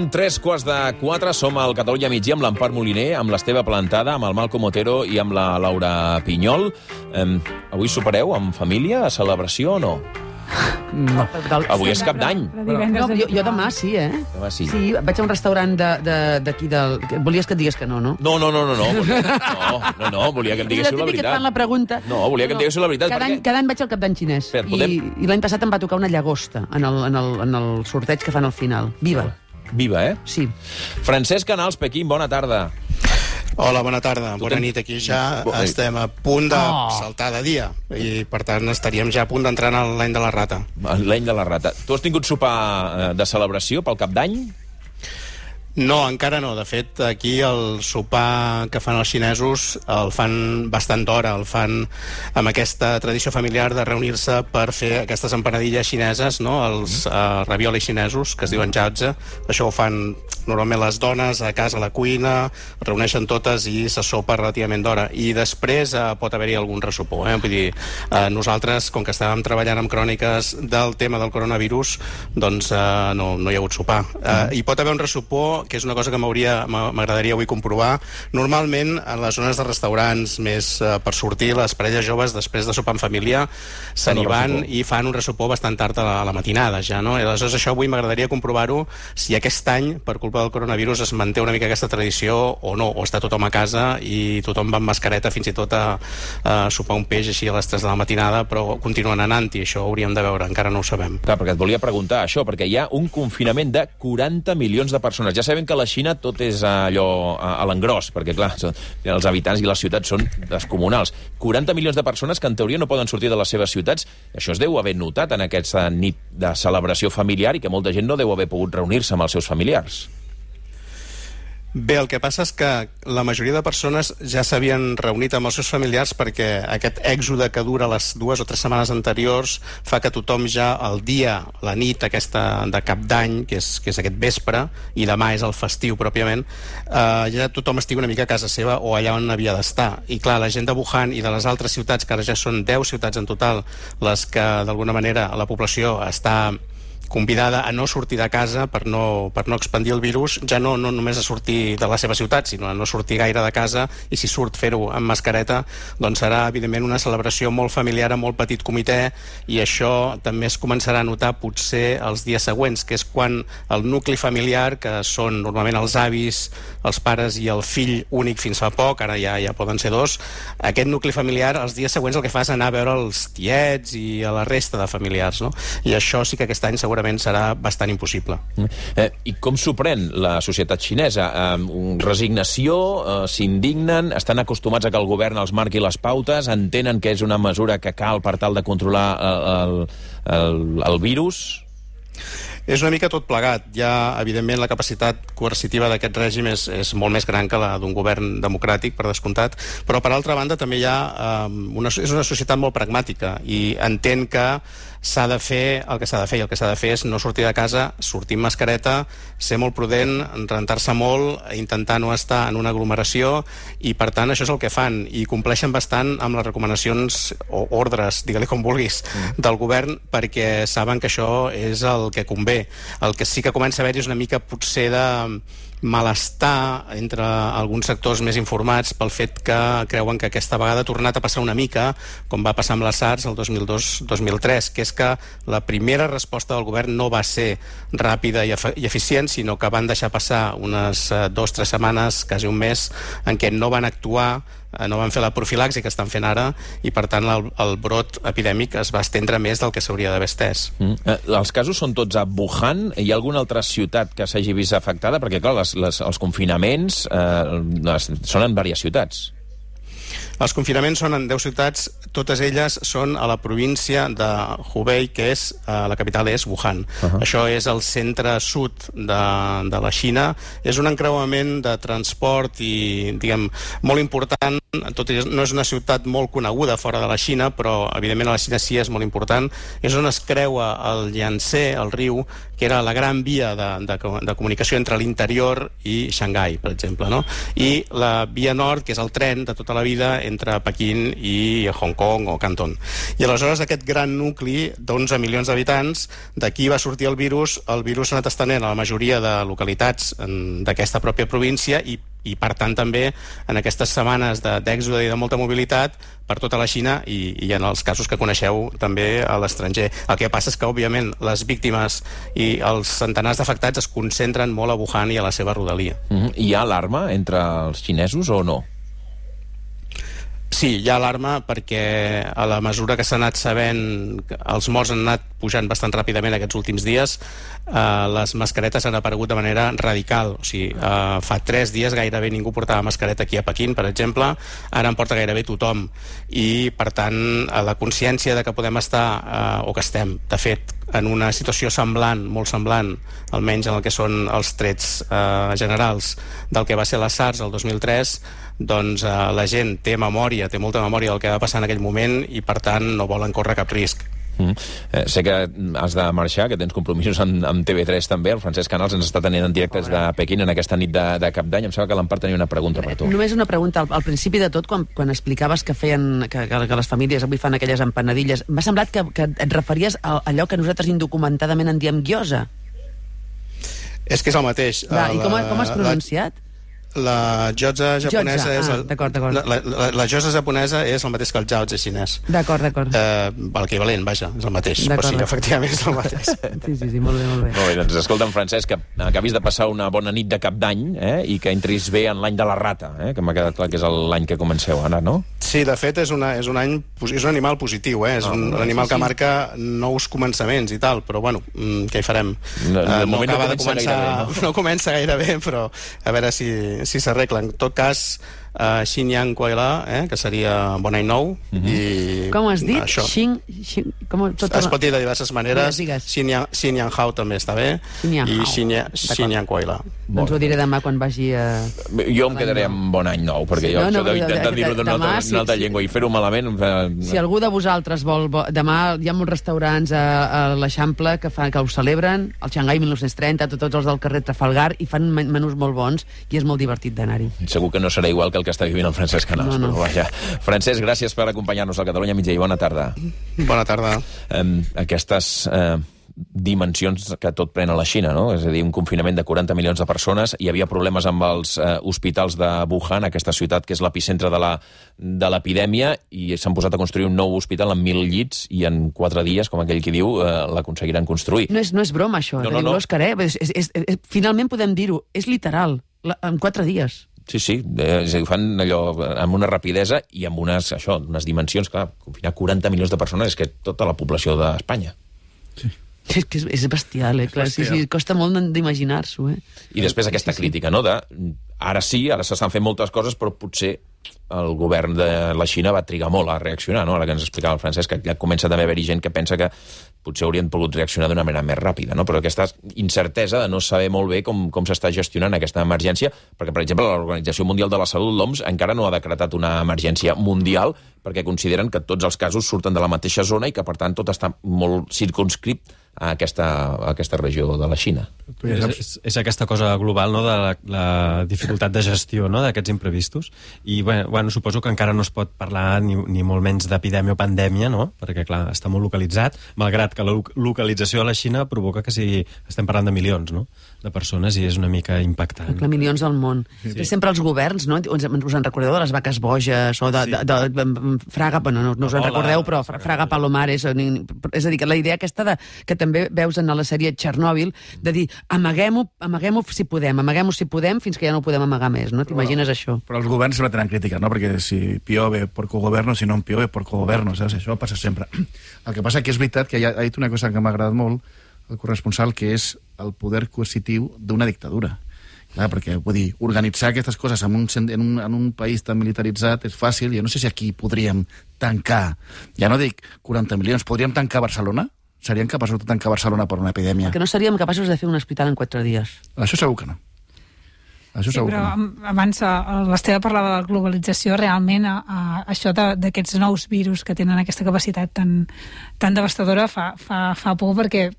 Són 3:15, som al Catalunya Migdia amb l'Empar Moliner, amb l'Esteve Plantada, amb el Malcom Otero i amb la Laura Pinyol. Avui sopareu amb família, a celebració o no? No. Avui és Cap d'Any. No, jo demà sí, Demà sí. Sí, vaig a un restaurant d'aquí del... Volies que et digués que no, no? No, volia que em diguéssiu la Típic que et fan veritat. la pregunta. No, volia que em diguéssiu la veritat. Cada any vaig al Cap d'Any xinès. I l'any passat em va tocar una llagosta en el sorteig que fan al final. Viva. Viva, Sí. Francesc Canals, Pequín, bona tarda. Hola, bona tarda. Bona nit. Aquí ja estem a punt de saltar de dia i, per tant, estaríem ja a punt d'entrar en l'any de la rata. L'any de la rata. Tu has tingut sopar de celebració pel Cap d'Any? No, encara no. De fet, aquí el sopar que fan els xinesos el fan bastant d'hora, el fan amb aquesta tradició familiar de reunir-se per fer aquestes empanadilles xineses, no? Els raviolis xinesos, que es diuen jiaozi. Això ho fan normalment les dones a casa a la cuina, es reuneixen totes i se sopa relativament d'hora. I després pot haver-hi algun ressopor. Vull dir, nosaltres, com que estàvem treballant amb cròniques del tema del coronavirus, doncs no hi ha hagut sopar. Hi pot haver un ressopor, que és una cosa que m'agradaria avui comprovar. Normalment, en les zones de restaurants més per sortir, les parelles joves, després de sopar en família, se n'hi van i fan un ressopor bastant tard a la matinada, ja, no? I aleshores això avui m'agradaria comprovar-ho, si aquest any, per culpa del coronavirus, es manté una mica aquesta tradició o no, o està tothom a casa i tothom va amb mascareta fins i tot a sopar un peix així a les 3 de la matinada, però continuen anant-hi, això ho hauríem de veure, encara no ho sabem. Clar, perquè et volia preguntar això, perquè hi ha un confinament de 40 milions de persones. Ja sabem que a la Xina tot és allò a l'engròs, perquè, clar, els habitants i les ciutats són descomunals. 40 milions de persones que, en teoria, no poden sortir de les seves ciutats. Això es deu haver notat en aquesta nit de celebració familiar i que molta gent no deu haver pogut reunir-se amb els seus familiars. Bé, el que passa és que la majoria de persones ja s'havien reunit amb els seus familiars perquè aquest èxode que dura les 2 o 3 setmanes anteriors fa que tothom ja el dia, la nit aquesta de Cap d'Any, que és aquest vespre, i demà és el festiu pròpiament, ja tothom estigui una mica a casa seva o allà on havia d'estar. I clar, la gent de Wuhan i de les altres ciutats, que ara ja són 10 ciutats en total, les que d'alguna manera la població està convidada a no sortir de casa per no expandir el virus, ja no només a sortir de la seva ciutat, sinó a no sortir gaire de casa, i si surt fer-ho amb mascareta, doncs serà evidentment una celebració molt familiar, a molt petit comitè, i això també es començarà a notar potser els dies següents, que és quan el nucli familiar, que són normalment els avis, els pares i el fill únic fins fa poc, ara ja poden ser 2, aquest nucli familiar els dies següents el que fa és anar a veure els tiets i a la resta de familiars, no? I això sí que aquest any segurament serà bastant impossible. I com s'ho pren la societat xinesa? Resignació? S'indignen? Estan acostumats a que el govern els marqui les pautes? Entenen que és una mesura que cal per tal de controlar el virus? És una mica tot plegat. Ja, evidentment, la capacitat coercitiva d'aquest règim és molt més gran que la d'un govern democràtic, per descomptat, però, per altra banda, també hi ha és una societat molt pragmàtica i entén que s'ha de fer el que s'ha de fer, i el que s'ha de fer és no sortir de casa, sortir amb mascareta, ser molt prudent, rentar-se molt, intentar no estar en una aglomeració, i per tant això és el que fan, i compleixen bastant amb les recomanacions o ordres, digue-li com vulguis, del govern, perquè saben que això és el que convé. El que sí que comença a haver-hi és una mica potser de malestar entre alguns sectors més informats pel fet que creuen que aquesta vegada ha tornat a passar una mica com va passar amb la SARS el 2002-2003, que és que la primera resposta del govern no va ser ràpida i eficient, sinó que van deixar passar unes 2 o 3 setmanes, quasi un mes, en què no van actuar, no van fer la profilaxi que estan fent ara, i per tant el brot epidèmic es va estendre més del que s'hauria d'haver estès. Els casos són tots a Wuhan? Hi ha alguna altra ciutat que s'hagi vist afectada? Perquè, clar, els confinaments són en diverses ciutats. Els confinaments són en 10 ciutats, totes elles són a la província de Hubei, que és, la capital és Wuhan. Això és el centre-sud de la Xina. És un encreuament de transport i, diguem, molt important tot i que no és una ciutat molt coneguda fora de la Xina, però evidentment a la Xina sí és molt important, és on es creua el Yangtze, el riu, que era la gran via de comunicació entre l'interior i Xangai, per exemple, no? I la via nord, que és el tren de tota la vida entre Pequín i Hong Kong o Canton. I aleshores aquest gran nucli d'11 milions d'habitants, d'aquí va sortir el virus s'ha anat estenent a la majoria de localitats d'aquesta pròpia província i per tant també en aquestes setmanes d'èxode i de molta mobilitat per tota la Xina i en els casos que coneixeu també a l'estranger. El que passa és que, òbviament, les víctimes i els centenars d'afectats es concentren molt a Wuhan i a la seva rodalia. Hi ha alarma entre els xinesos o no? Sí, hi ha alarma perquè a la mesura que s'ha anat sabent que els morts han anat pujant bastant ràpidament aquests últims dies, les mascaretes han aparegut de manera radical. O sigui, fa 3 dies gairebé ningú portava mascareta aquí a Pequín, per exemple, ara en porta gairebé tothom. I, per tant, la consciència de que podem estar, o que estem, de fet, en una situació semblant, molt semblant, almenys en el que són els trets generals del que va ser la SARS el 2003, doncs la gent té memòria, té molta memòria del que va passar en aquell moment i, per tant, no volen córrer cap risc. Sé que has de marxar, que tens compromisos amb TV3 també. El Francesc Canals ens està tenint en directes de Pequín en aquesta nit de Cap d'Any. Em sembla que l'Empar tenia una pregunta per tu. Només una pregunta. Al principi de tot, quan explicaves que les famílies avui fan aquelles empanadilles, m'ha semblat que et referies a allò que nosaltres indocumentadament en diem gyoza. És que és el mateix. I com has pronunciat? La gyoza japonesa és la gyoza japonesa és el mateix que el jiaozi xinès. D'acord. L'equivalent, vaja, és el mateix. Però sí, efectivament és el mateix. Sí, molt bé. Molt bé, doncs escolta'm, Francesc, que acabis de passar una bona nit de Cap d'Any i que entris bé en l'any de la rata, que m'ha quedat clar que és l'any que comenceu ara, no? Sí, de fet és un animal positiu, és un animal que marca nous començaments i tal, però bueno, què hi farem? No comença gaire bé, però a veure si s'arregla. En tot cas, Xin Yang Kuai-la, que seria Bon Any Nou. Com has dit? Es pot dir de diverses maneres. Xin Yang Hao també està bé. I Xin Yang Kuai-la. Doncs ho diré demà quan vagi a... Jo em quedaré amb Bon Any Nou, perquè jo això d'intentar dir-ho d'una altra llengua i fer-ho malament... Si algú de vosaltres vol... Demà hi ha molts restaurants a l'Eixample que ho celebren, el Xangai 1930, tots els del carrer Trafalgar, i fan menús molt bons i és molt divertit d'anar-hi. Segur que no serà igual que el que està vivint el Francesc Canals. No. Però vaja. Francesc, gràcies per acompanyar-nos al Catalunya Mitjà i bona tarda. Bona tarda. Aquestes dimensions que tot pren a la Xina, no? És a dir, un confinament de 40 milions de persones. Hi havia problemes amb els hospitals de Wuhan, aquesta ciutat que és l'epicentre de l'epidèmia, i s'han posat a construir un nou hospital amb 1.000 llits i en 4 dies, com aquell qui diu, l'aconseguiran construir. No és broma, això. No. L'Òscar, finalment podem dir-ho. És literal. En 4 dies. Sí, és a dir, fan allò amb una rapidesa i amb unes dimensions, clar, confinar 40 milions de persones és que tota la població d'Espanya. Sí. És que és bestial, clar. Sí, costa molt d'imaginar-s'ho, I després aquesta crítica, no?, ara s'estan fent moltes coses, però potser el govern de la Xina va trigar molt a reaccionar, no? Ara que ens explicava el Francesc, que ja comença també a haver-hi gent que pensa que potser haurien pogut reaccionar d'una manera més ràpida, no? Però aquesta incertesa de no saber molt bé com s'està gestionant aquesta emergència, perquè, per exemple, l'Organització Mundial de la Salut, l'OMS, encara no ha decretat una emergència mundial perquè consideren que tots els casos surten de la mateixa zona i que, per tant, tot està molt circumscrit a aquesta regió de la Xina. És aquesta cosa global, no?, de la dificultat de gestió, no?, d'aquests imprevistos. I, bueno, suposo que encara no es pot parlar ni molt menys d'epidèmia o pandèmia, no?, perquè, clar, està molt localitzat, malgrat que la localització a la Xina provoca que estem parlant de milions, no?, de persones, i és una mica impactant. Clar, milions al món. Sí. Sempre els governs, no?, us en recordeu de les vaques boges o de Fraga, bueno, no us en recordeu, però Fraga Palomares, és a dir, que la idea aquesta que també veus en la sèrie Txernòbil, de dir, amaguem-ho si podem, fins que ja no ho podem amagar més, no? T'imagines això? Però els governs sempre tenen crítica, no? Perquè si piove por cogoverno, si no piove por cogoverno, saps? Això passa sempre. El que passa que és veritat que ha dit una cosa que m'ha agradat molt, el corresponsal, que és el poder coercitiu d'una dictadura. Clar, perquè, vull dir, organitzar aquestes coses en un país tan militaritzat és fàcil. Jo no sé si aquí podríem tancar, ja no dic 40 milions, podríem tancar Barcelona? Serien capaços de tancar Barcelona per una epidèmia? Que no seríem capaços de fer un hospital en 4 dies. Això segur que no. Això segur però que no. abans l'Esteve parlava de la globalització, realment això d'aquests nous virus que tenen aquesta capacitat tan devastadora fa por, perquè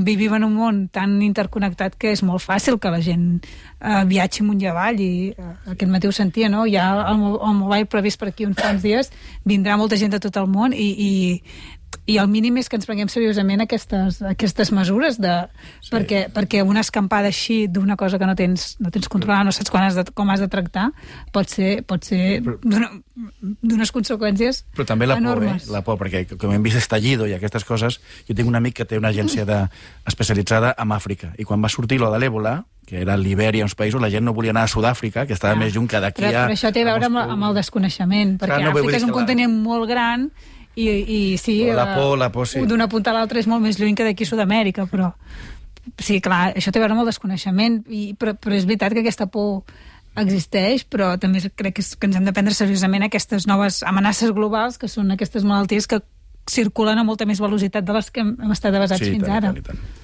vivim en un món tan interconnectat que és molt fàcil que la gent viatgi amunt i avall, i aquest matí ho sentia, no? Hi ha el mobile previst per aquí uns quants dies, vindrà molta gent de tot el món i el mínim és que ens prenguem seriosament aquestes mesures perquè una escampada així d'una cosa que no tens controlada, no saps com has de tractar, pot ser d'unes conseqüències però també la enormes. Por, la por, perquè com hem vist estallido i aquestes coses, jo tinc un amic que té una agència especialitzada en Àfrica, i quan va sortir lo de l'èbola, que era Libèria, uns països, la gent no volia anar a Sud-àfrica, que estava més lluny que d'aquí a... Però això té a veure amb el desconeixement, perquè Àfrica és un continent molt gran i sí, la por, sí. D'una punta a l'altra és molt més lluny que d'aquí a Sud-amèrica, però sí, clar, això té a veure amb el desconeixement, però és veritat que aquesta por existeix, però també crec que ens hem de prendre seriosament aquestes noves amenaces globals, que són aquestes malalties que circulen a molta més velocitat de les que hem estat avasats fins ara.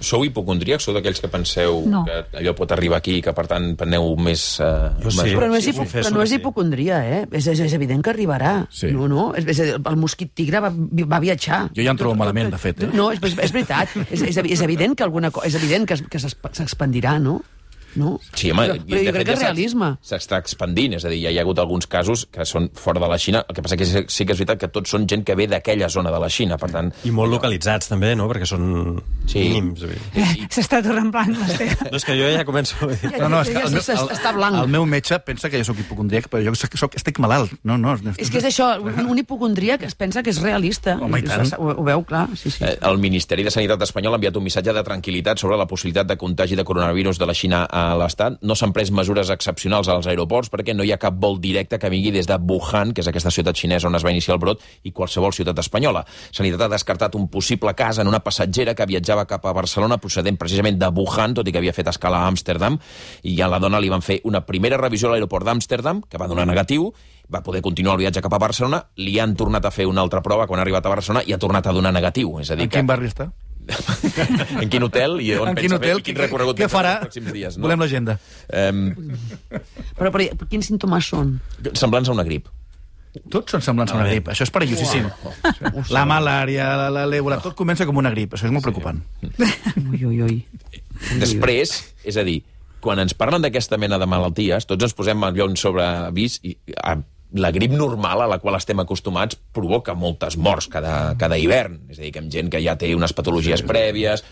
Sou hipocondríacs? Sou d'aquells que penseu que allò pot arribar aquí i que, per tant, preneu més... Però no és hipocondria, És evident que arribarà. Sí. No? El mosquit tigre va viatjar. Jo ja em trobo malament, de fet. No, és veritat. És evident que s'expandirà, no? No? Sí, home, però jo crec que és realisme. S'està expandint, és a dir, ja hi ha hagut alguns casos que són fora de la Xina, el que passa que sí que és veritat que tots són gent que ve d'aquella zona de la Xina, per tant... I molt localitzats, també, no?, perquè són mínims. S'està tornant blanc, l'Esteve. No, és que jo ja començo... Està blanc. El meu metge pensa que jo soc hipocondríac, però jo estic malalt. No. És que és això, un hipocondríac es pensa que és realista. Home, i tant. Ho veu, clar. Sí. El Ministeri de Sanitat espanyol ha enviat un missatge de tranquil·litat sobre la possibilitat de contagi de coronavirus de la Xina a l'Estat. No s'han pres mesures excepcionals als aeroports perquè no hi ha cap vol directe que vingui des de Wuhan, que és aquesta ciutat xinesa on es va iniciar el brot, i qualsevol ciutat espanyola. Sanitat ha descartat un possible cas en una passatgera que viatjava cap a Barcelona procedent precisament de Wuhan, tot i que havia fet escala a Amsterdam, i a la dona li van fer una primera revisió a l'aeroport d'Amsterdam, que va donar negatiu, va poder continuar el viatge cap a Barcelona, li han tornat a fer una altra prova quan ha arribat a Barcelona i ha tornat a donar negatiu. És a dir, en quin barri està? En quin hotel i on pensa fer, quin recorregut què farà? Els pròxims dies. No? Volem l'agenda. Però quins símptomes són? Semblants a una grip. Tots són semblants a una grip. Això és perillosíssim. La malària, l'èbola, tot comença com una grip. Això és molt preocupant. Ui. Després, és a dir, quan ens parlen d'aquesta mena de malalties, tots ens posem allò sobre avís i la grip normal a la qual estem acostumats provoca moltes morts cada hivern. És a dir, que amb gent que ja té unes patologies prèvies,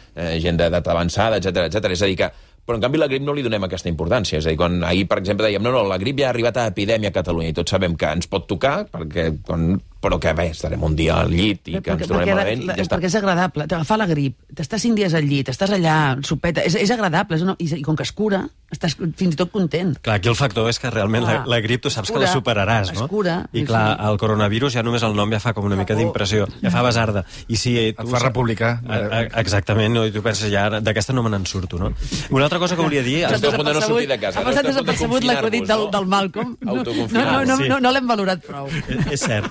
gent d'edat avançada, etc. És a dir que... Però, en canvi, la grip no li donem aquesta importància. És a dir, quan ahir, per exemple, dèiem no, la grip ja ha arribat a epidèmia a Catalunya i tots sabem que ens pot tocar, però que bé, estarem un dia al llit i que ens tornem malament i ja està. Perquè és agradable. T'agafar la grip, t'estàs 5 dies al llit, estàs allà, sopeta, és agradable, i com que es cura, estàs fins i tot content. Clar, aquí el factor és que realment la grip tu saps que la superaràs, no? Es cura. I clar, el coronavirus ja només el nom ja fa com una mica d'impressió, ja fa basarda. I si et fa republicà. Exactament, no? I tu penses ja, d'aquesta no me n'en surto, no? Una altra cosa que volia dir... Esteu a punt de no sortir de casa. Ha passat desapercebut l'acudit del Malcolm. Autoconfinar-vos. No l'hem valorat prou. És cert.